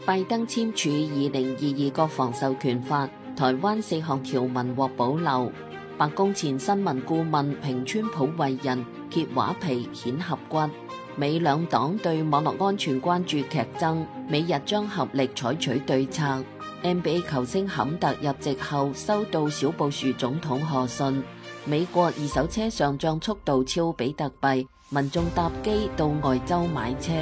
拜登簽署2022國防授權法，台灣4項條文獲保留。白宮前新聞顧問評川普為人揭畫皮顯合骨。美兩黨對網絡安全關注劇增，美日將合力採取對策。NBA 球星坎特入籍後收到小布殊總統賀信。美國二手車上漲速度超比特幣，民眾搭機到外州買車。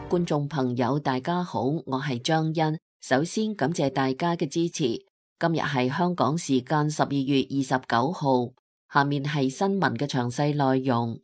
觀眾朋友大家好，我係張欣，首先感謝大家嘅支持。今日係香港時間12月29號，下面係新聞嘅詳細內容。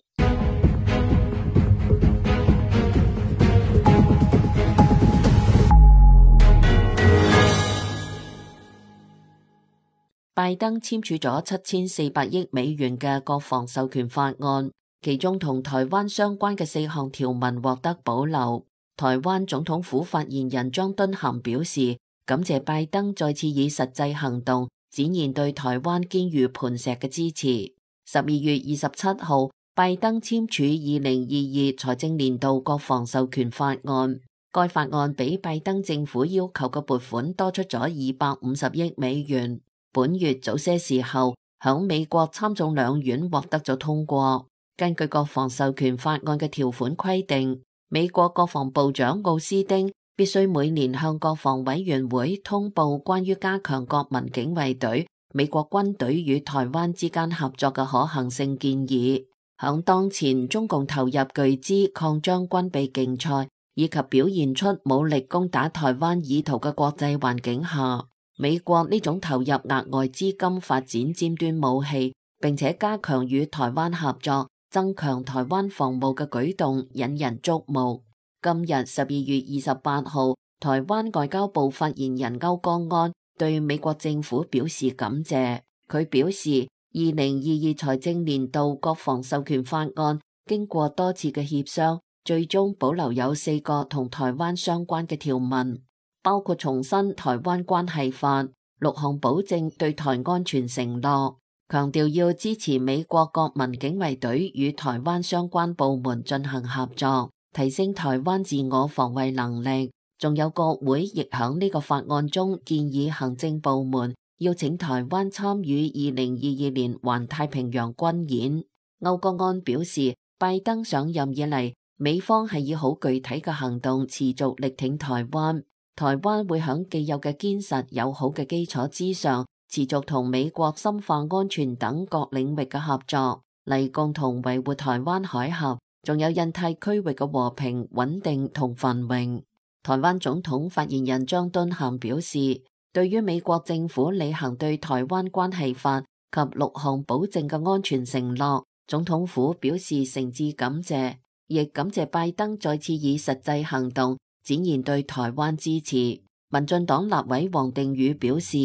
拜登簽署咗7400億美元嘅國防授權法案，其中同台灣相關嘅4項條文獲得保留。台灣總統府發言人張敦涵表示，感謝拜登再次以實際行動展現對台灣堅如磐石嘅支持。12月27號，拜登簽署2022財政年度國防授權法案，該法案比拜登政府要求嘅撥款多出咗250億美元。本月早些時候，響美國參眾兩院獲得咗通過。根據國防授權法案嘅條款規定，美國國防部長奧斯汀必須每年向國防委員會通報關於加強國民警衛隊、美國軍隊與台灣之間合作嘅可行性建議。響當前中共投入巨資擴張軍備競賽以及表現出武力攻打台灣意圖嘅國際環境下，美國呢種投入額外資金發展尖端武器，並且加強與台灣合作、增強台灣防務嘅舉動引人矚目。今日12月28號，台灣外交部發言人歐江安對美國政府表示感謝。佢表示，2022財政年度國防授權法案經過多次嘅協商，最終保留有4個同台灣相關嘅條文，包括重申台灣關係法、6項保證對台安全承諾，強調要支持美國國民警衛隊與台灣相關部門進行合作，提升台灣自我防衛能力。仲有國會亦響呢個法案中建議行政部門邀請台灣參與2022年環太平洋軍演。歐江安表示，拜登上任以嚟，美方係以好具體嘅行動持續力挺台灣。台灣會響既有嘅堅實友好嘅基礎之上，持續同美國深化安全等各領域嘅合作，嚟共同維護台灣海峽，仲有印太區域嘅和平穩定同繁榮。台灣總統發言人張敦涵表示，對於美國政府履行對台灣關係法及6項保證嘅安全承諾，總統府表示誠摯感謝，亦感謝拜登再次以實際行動展現對台灣支持。民進黨立委王定宇表示，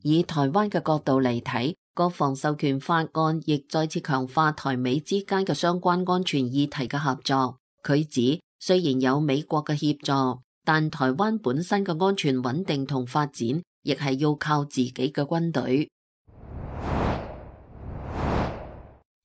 以台灣嘅角度嚟睇，國防授權法案亦再次強化台美之間嘅相關安全議題嘅合作。佢指，雖然有美國嘅協助，但台灣本身嘅安全穩定同發展，亦係要靠自己嘅軍隊。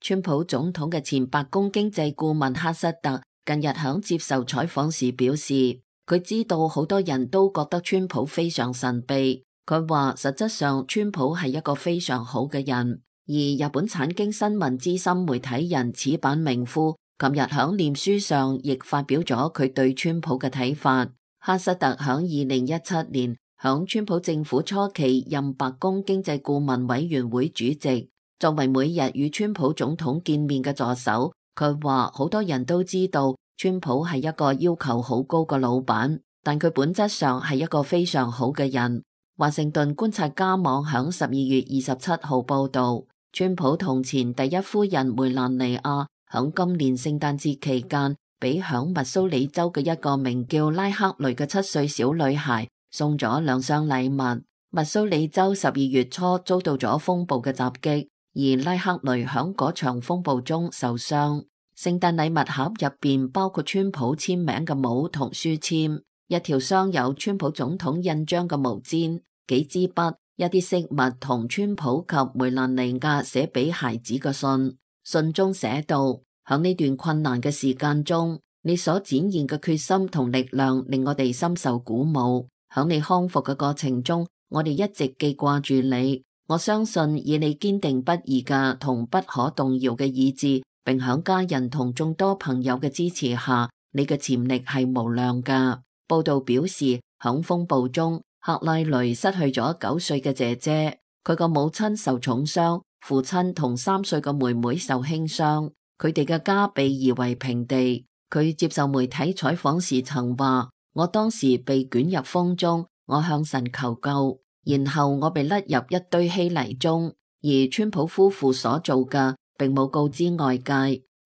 川普總統嘅前白宮經濟顧問哈瑟特近日響接受採訪時表示，佢知道好多人都覺得川普非常神秘。佢話實質上川普係一個非常好嘅人。而日本產經新聞資深媒體人矢板明夫琴日響臉書上亦發表咗佢對川普嘅睇法。哈瑟特響2017年響川普政府初期任白宮經濟顧問委員會主席，作為每日與川普總統見面嘅助手。佢話好多人都知道川普係一個要求好高嘅老闆，但佢本質上係一個非常好嘅人。華盛頓觀察家網響12月27號報道，川普同前第一夫人梅蘭妮亞響今年聖誕節期間，俾響密蘇里州嘅一個名叫拉克雷嘅7歲小女孩送咗2箱禮物。密蘇里州12月初遭到咗風暴嘅襲擊，而拉克雷響嗰場風暴中受傷。聖誕禮物盒入邊包括川普簽名嘅帽同書籤，一條裝有川普總統印章嘅毛氈，幾支筆，一啲飾物同川普及梅蘭妮亞寫俾孩子嘅信。信中寫道，響呢段困難嘅時間中，你所展現嘅決心同力量令我哋深受鼓舞。響你康復嘅過程中，我哋一直記掛住你。我相信以你堅定不移嘅同不可動搖嘅意志，並響家人同眾多朋友嘅支持下，你嘅潛力係無量㗎。報道表示，響風暴中，克拉雷失去咗9歲嘅姐姐，佢個母親受重傷，父親同3歲嘅妹妹受輕傷，佢哋嘅家被夷為平地。佢接受媒體採訪時曾話：我當時被捲入風中，我向神求救。然後我被甩入一堆稀泥中，而川普夫婦所做嘅並冇告知外界，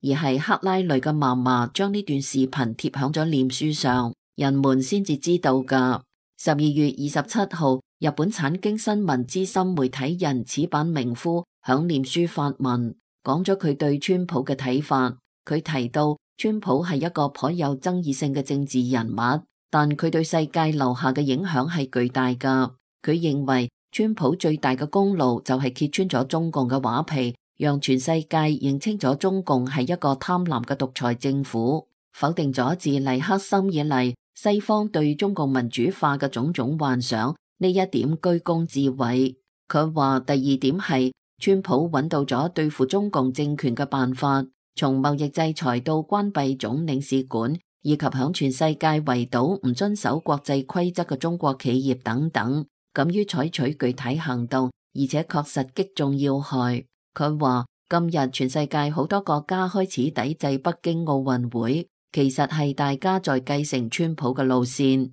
而係克拉雷嘅嫲嫲將呢段視頻貼響咗臉書上，人們先至知道㗎。12月27號，日本產經新聞資深媒體人矢板明夫響臉書發文，講咗佢對川普嘅睇法。佢提到川普係一個頗有爭議性嘅政治人物，但佢對世界留下嘅影響係巨大㗎。佢認為川普最大嘅功勞就係揭穿咗中共嘅畫皮，讓全世界認清咗中共係一個貪婪嘅獨裁政府，否定咗自尼克森以嚟西方對中共民主化嘅種種幻想，呢一點居功至偉。佢話第二點係川普揾到咗對付中共政權嘅辦法，從貿易制裁到關閉總領事館，以及響全世界圍堵唔遵守國際規則嘅中國企業等等。敢於採取具體行動，而且確實擊中要害。佢話今日全世界好多國家開始抵制北京奧運會，其實係大家在繼承川普嘅路線。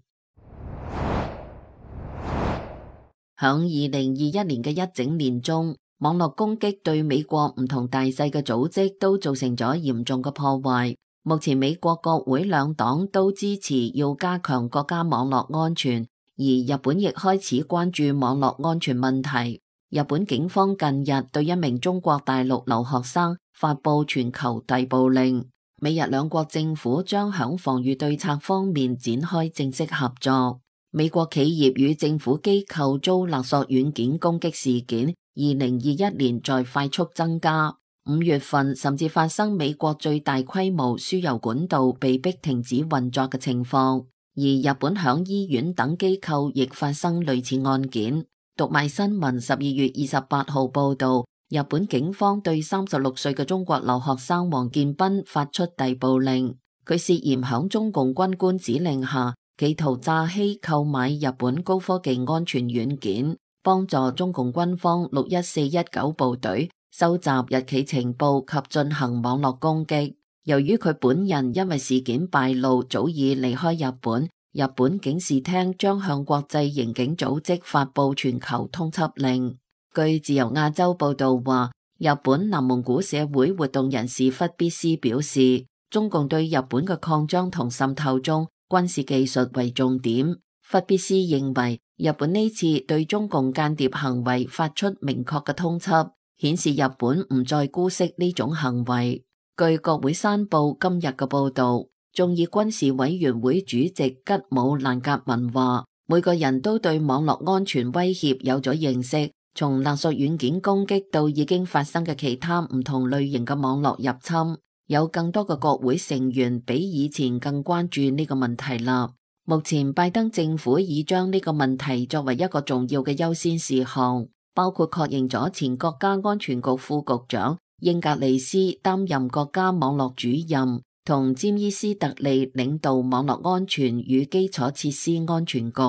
響2021年嘅一整年中，網絡攻擊對美國唔同大細嘅組織都造成咗嚴重嘅破壞。目前美國國會兩黨都支持要加強國家網絡安全。而日本亦開始關注網絡安全問題。日本警方近日對一名中國大陸留學生發佈全球逮捕令。美日兩國政府將響防禦對策方面展開正式合作。美國企業與政府機構遭勒索軟件攻擊事件，2021年在快速增加。5月份甚至發生美國最大規模輸油管道被迫停止運作嘅情況。而日本響醫院等機構亦發生類似案件。讀賣新聞12月28號報道，日本警方對36歲嘅中國留學生王建斌發出逮捕令，佢涉嫌響中共軍官指令下，企圖詐欺購買日本高科技安全軟件，幫助中共軍方61419部隊收集日期情報及進行網絡攻擊。由於佢本人因為事件敗露早已離開日本，日本警視廳將向國際刑警組織發佈全球通緝令。據自由亞洲報道話，日本南蒙古社會活動人士忽必斯表示，中共對日本嘅擴張同滲透中，軍事技術為重點。忽必斯認為，日本呢次對中共間諜行為發出明確嘅通緝，顯示日本唔再姑息呢種行為。據國會山報今日嘅報道，眾議軍事委員會主席吉姆蘭格文話，每個人都對網絡安全威脅有咗認識，從勒索軟件攻擊到已經發生嘅其他唔同類型嘅網絡入侵，有更多嘅國會成員比以前更關注呢個問題啦。目前拜登政府已將呢個問題作為一個重要嘅優先事項，包括確認咗前國家安全局副局長英格利斯擔任國家網絡主任，同詹伊斯特利領導網絡安全與基礎設施安全局，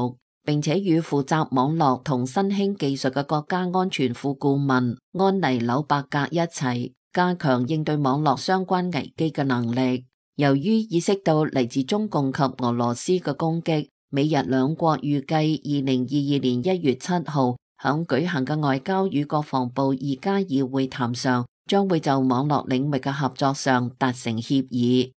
並且與負責網絡同新興技術嘅國家安全副顧問安妮紐伯格一齊加強應對網絡相關危機嘅能力。由於意識到嚟自中共及俄羅斯嘅攻擊，美日兩國預計2022年1月7號響舉行嘅外交與國防部2+2會談上，將會就網絡領域嘅合作上達成協議。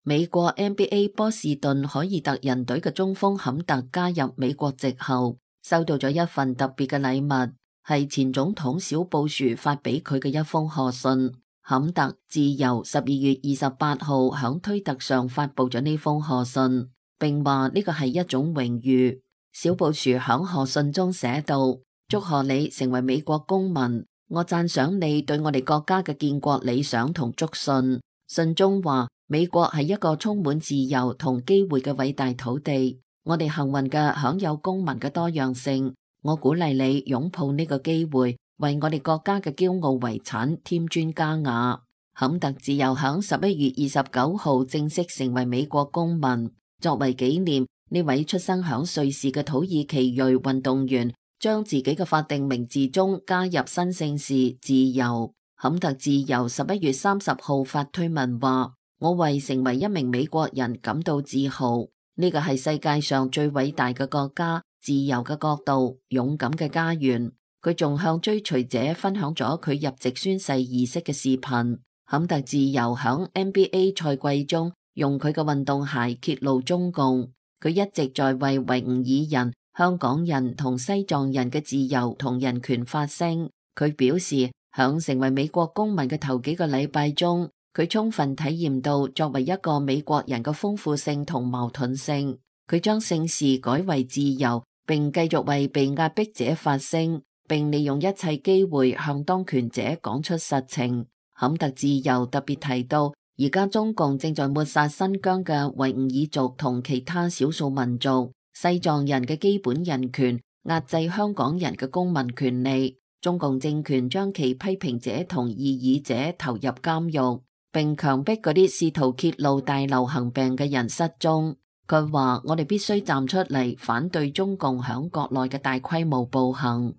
美國 NBA 波士頓凱爾特人隊嘅中鋒坎特加入美國籍後，收到咗一份特別嘅禮物，係前總統小布殊發俾佢嘅一封賀信。坎特自由12月28號響推特上發佈咗呢封賀信，並話呢個係一種榮譽。小布殊響賀信中寫道：祝賀你成為美國公民，我讚賞你對我哋國家嘅建國理想同囑信。信中話，美國係一個充滿自由同機會嘅偉大土地，我哋幸運嘅享有公民嘅多樣性。我鼓勵你擁抱呢個機會，為我哋國家嘅驕傲遺產添磚加瓦。坎特自由響11月29號正式成為美國公民。作為紀念，呢位出生響瑞士嘅土耳其裔運動員將自己嘅法定名字中加入新姓氏自由。坎特自由11月30號發推文話：我為成為一名美國人感到自豪，呢個係世界上最偉大嘅國家，自由嘅國度，勇敢嘅家園。佢仲向追隨者分享咗佢入籍宣誓儀式嘅視頻。坎特自由響 NBA 賽季中用佢嘅運動鞋揭露中共，佢一直在為維吾爾人、香港人同西藏人嘅自由同人權發聲。佢表示，響成為美國公民嘅頭幾個禮拜中，佢充分體驗到作為一個美國人嘅豐富性同矛盾性。佢將姓氏改為自由，並繼續為被壓迫者發聲，並利用一切機會向當權者講出實情。坎特自由特別提到，而家中共正在抹殺新疆嘅維吾爾族同其他少數民族、西藏人嘅基本人權，壓制香港人嘅公民權利。中共政權將其批評者同異議者投入監獄，並強迫嗰啲試圖揭露大流行病嘅人失蹤。佢話：我哋必須站出嚟反對中共響國內嘅大規模暴行。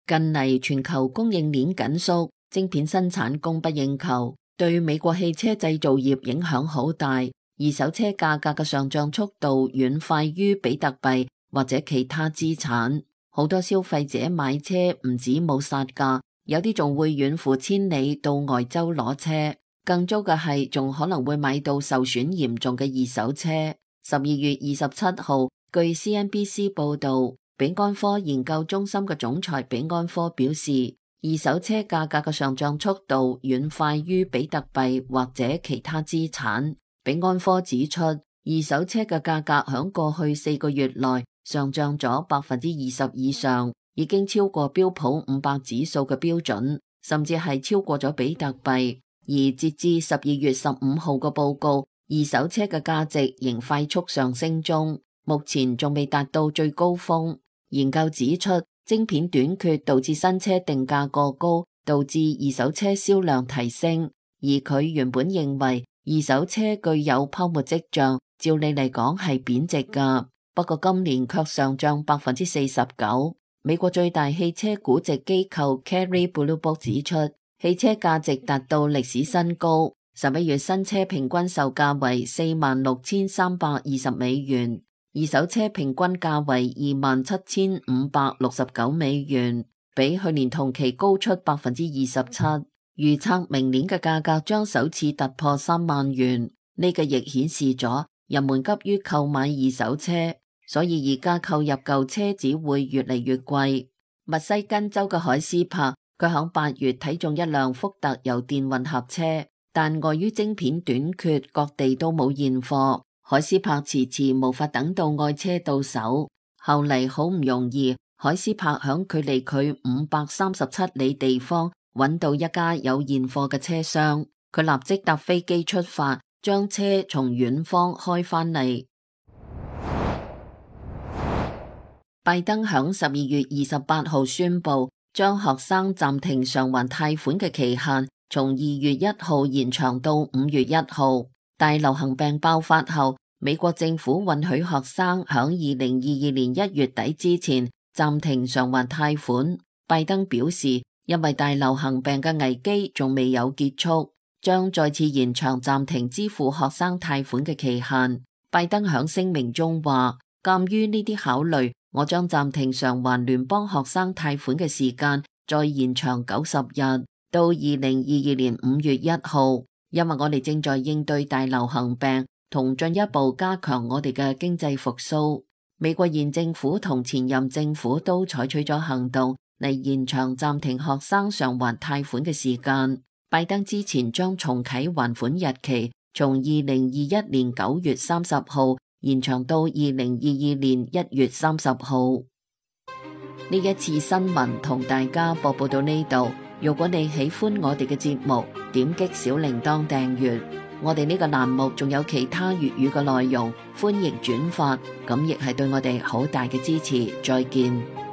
近嚟全球供應鏈緊縮，晶片生產供不應求，對美國汽車製造業影響好大。二手車價格嘅上漲速度遠快於比特幣或者其他資產。好多消費者買車唔止冇殺價，有啲仲會遠赴千里到外州攞車。更糟嘅係，仲可能會買到受損嚴重嘅二手車。12月27號，據 CNBC 報導，比安科研究中心嘅總裁比安科表示，二手車價格嘅上漲速度遠快於比特幣或者其他資產。比安科指出，二手車嘅價格響過去4個月內上漲咗20%以上，已經超過標普500指數嘅標準，甚至係超過咗比特幣。而截至12月15號嘅報告，二手車嘅價值仍快速上升中，目前仲未達到最高峰。研究指出，晶片短缺導致新車定價過高，導致二手車銷量提升。而佢原本認為二手車具有泡沫跡象，照理嚟講係貶值㗎，不過今年卻上漲49%。美國最大汽車估值機構 Kelley Blue Book 指出，汽車價值達到歷史新高。11月新車平均售價為46,320美元，二手車平均價為27,569美元，比去年同期高出27%。預測明年嘅價格將首次突破3萬元。呢個亦顯示咗人們急於購買二手車，所以而家購入舊車只會越嚟越貴。密西根州嘅海斯柏，佢響8月睇中一輛福特油電混合車，但礙於晶片短缺，各地都冇現貨。海斯柏遲遲無法等到愛車到手。後嚟好唔容易，海斯柏響距離佢537里地方揾到一家有現貨嘅車商，佢立即搭飛機出發，將車從遠方開返嚟。拜登響12月28號宣布，將學生暫停償還貸款嘅期限從2月1號延長到5月1號。大流行病爆發後，美國政府允許學生響2022年1月底之前暫停償還貸款。拜登表示，因為大流行病嘅危機仲未有結束，將再次延長暫停支付學生貸款嘅期限。拜登響聲明中話，鑒於呢啲考慮，我將暫停償還聯邦學生貸款嘅時間再延長90日，到2022年5月1號，因為我哋正在應對大流行病同進一步加強我哋嘅經濟復甦。美國現政府同前任政府都採取咗行動嚟延長暫停學生償還貸款嘅時間。拜登之前將重啟還款日期，從2021年9月30號延長到2022年1月30號。呢一次新聞同大家播報到呢度。如果你喜歡我哋嘅節目，點擊小鈴鐺訂閱。我哋呢個欄目仲有其他粵語嘅內容，歡迎轉發，咁亦係對我哋好大嘅支持。再見。